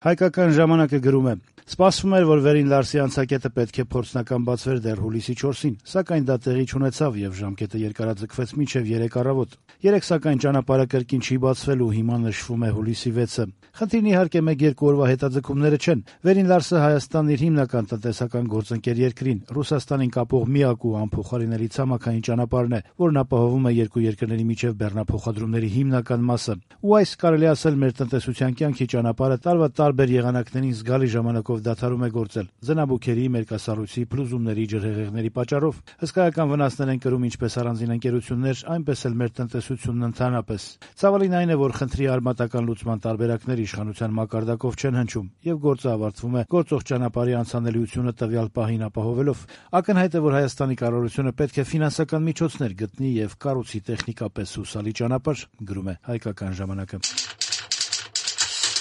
Հայկական ժամանակը գրում է. «Սպասվում էր, որ Վերին Լարսի անցակետը պետք է փորձնական բացվեր դեռ հուլիսի 4-ին, սակայն դա տեղի չունեցավ եւ ժամկետը երկարաձգվեց մինչեւ 3 առավոտ։ Երեկ սակայն ճանապարհը կրկին չի բացվել ու հիմա նշվում է հուլիսի 6-ը։ Խնդիրն իհարկե 1-2 օրվա հետաձգումները չեն։ Վերին Լարսը Հայաստանն իր հիմնական տնտեսական գործընկեր երկրին, Ռուսաստանին կապող միակ ու անփոխարինելի ցամաքային ճանապարհն է, որն ապահովում է երկու երկրների միջև բեռնափոխադրումների հիմնական մասը։ Ու այս կարելի ասել մեր տնտեսության կյանքի ճանապարհը տարվա տարբեր եղանակներին զգալի ժամանակով դադարում է գործել զնաբուքերի, մերկասառույցի, փլուզումների, ջրհեղեղների պատճառով։ Հսկայական վնասներ են կրում ինչպես առանձին ընկերություններ, այնպես էլ մեր տնտեսությունն ընդհանրապես։ Ցավալին այն է, որ խնդրի արմատական լուծման տարբերակներ իշխանության մակարդակով չեն հնչում եւ գործը ավարտվում է գործող ճանապարհի անցանելիությունը տվյալ պահին ապահովելով։ Ակնհայտ է, որ Հայաստանի կառավարությունը պետք է ֆինանսական միջոցներ գտնի եւ կառուցի տեխնիկապես հուսալի ճանապարհ, գրում է Հայկական ժամանակը։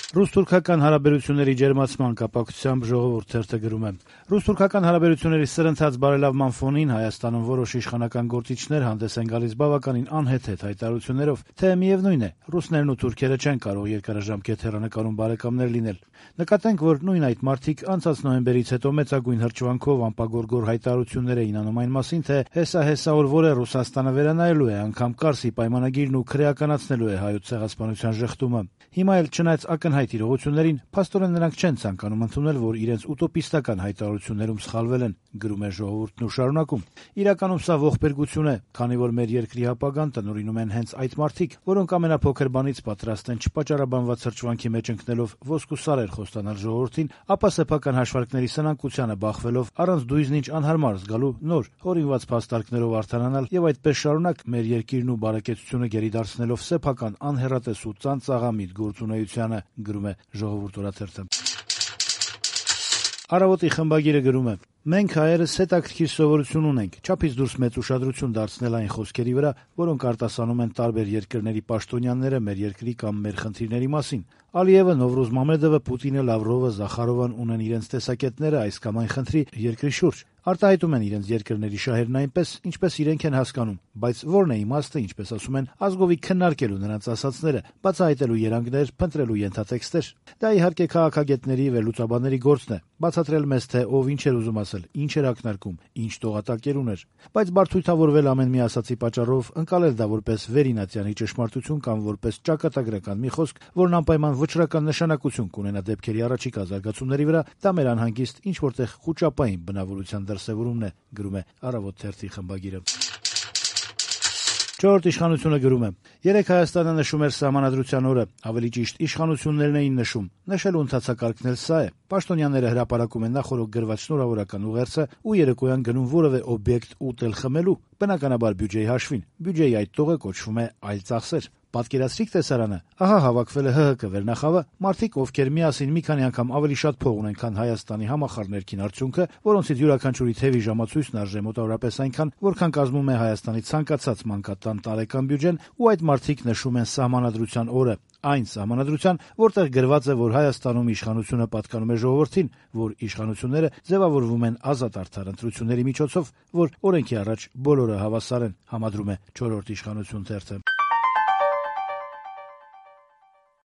Ռուս-թուրքական հարաբերությունների ջերմացման կապակցությամբ Ժողովուրդ թերթը գրում է. «Ռուս-թուրքական հարաբերությունների սրընթաց բարելավման ֆոնին Հայաստանում որոշ իշխանական գործիչներ հանդես են գալիս բավականին անհեթեթ հայտարարություններով, թե միևնույն է, ռուսներն ու թուրքերը չեն կարող երկարաժամկետ հեռանկարում բարեկամներ լինել։ Նկատենք, որ նույն այդ մարդիկ անցած նոյեմբերից հետո մեծագույն հրճվանքով անպագորգոր հայտարարություններ էին անում այն մասին, թե հեսա օրվոր է Ռուսաստանը վերանայելու է անգամ Կարսի պայմանագիրն ու քրեականացնելու է հայոց ցեղասպանության ժխտումը։ Հիմա էլ չնայած ակնհայտ իրողություններին, փաստորեն նրանք չեն ցանկանում ընդունել, որ իրենց ուտոպիստական հայտարարություններում սխալվել են», գրում է Ժողովուրդն ու շարունակում. «Իրականում սա ողբերգություն է, քանի որ մեր երկրի ապագան տնօրինում են հենց այդ մարդիկ, որոնք ամենափոքր բանից պատրաստ են չպատճառաբանված հրճվանքի մեջ ընկնելով ոսկու սարեր խոստանալ ժողովրդին, ապա սեփական հաշվարկների սնանկությանը բախվելով առանց դույզնիչ անհարմար զգալու նոր հորինված փաստարկներով արդարանալ եւ այդպես շարունակ մեր երկիրն ու բարեկեցությունը գերի դարձնելով սեփական անհեռատես ու ծանծաղամիտ գործունեությանը», գրում է Ժողովուրդ օրաթերթը։ Առավոտի խմբագիրը գրում է. «Մենք հայերս հետաքրքիր սովորություն ունենք չափից դուրս մեծ ուշադրություն դարձնել այն խոսքերի վրա, որոնք արտասանում են տարբեր երկրների պաշտոնյաները մեր երկրի կամ մեր խնդիրների մասին։ Ալիևը, Նովրուզ Մամեդովը, Պուտինը, Լավրովը, Զախարովան ունեն իրենց տեսակետները այս կամ այն խնդրի երկրի շուրջ, արտահայտում են իրենց երկրների շահերն այնպես, ինչպես իրենք են հասկանում, բայց որն է իմաստը, ինչպես ասում են, ազգովի քննարկելու նրանց ասածները, բացահայտելու երանգներ, փնտրելու ենթատեքստեր։ Դա իհարկե քաղաքագետների, վերլուծաբանների գործն է, բացատրել մեզ, թե ով ինչ էր ուզում ասել, ինչ էր ակնարկում, ինչ տողատակեր ուներ, բայց բարդույթավորվել ամեն մի ասացի պատճառով, ընկալել դա որպես վերինատյանի ճշմարտություն կամ որպես ճակատագրական մի խոսք, որն անպայման վճռական նշանակություն կունենա դեպքերի առաջիկա զարգացումների վրա, դա մեր անհանգիստ ինչ որտեղ խուճապային բնավորության դրսևորումն է», գրում է Առավոտ թերթի խմբագիրը։ Չորրորդ իշխանությունը գրում է. «Երեկ Հայաստանը նշում էր Սահմանադրության օրը, ավելի ճիշտ իշխանություններն էին նշում, նշելու ընթացակարգն էլ սա է. պաշտոնյաները հրապարակում են նախօրոք գրված շնորհավորական ուղերձը ու երեկոյան գնում որևէ օբյեկտ ուտել-խմելու, բնականաբար բյուջեի հաշվին, բյուջեի այդ տողը կոչվում է այլ ծախսեր։ Պատկերացրիք տեսարանը, ահա հավաքվել է ՀՀԿ վերնախավը, մարդիկ, ովքեր միասին մի քանի անգամ ավելի շատ փող ունեն, քան Հայաստանի համախառն ներքին արդյունքը, որոնցից յուրաքանչյուրի թևի ժամացույցն արժե մոտավորապես այնքան, որքան կազմում է Հայաստանի ցանկացած մանկատան տարեկան բյուջեն, ու այդ մարդիկ նշում են Սահմանադրության օրը, այն Սահմանադրության, որտեղ գրված է, որ Հայաստանում իշխանությունը պատկանում է ժողովրդին, որ իշխանությունները ձևավորվում են ազատ արդար ընտրությունների միջոցով, որ օրենքի առաջ բոլորը հավասար են», համադրում է Չորրորդ իշխանություն թերթը։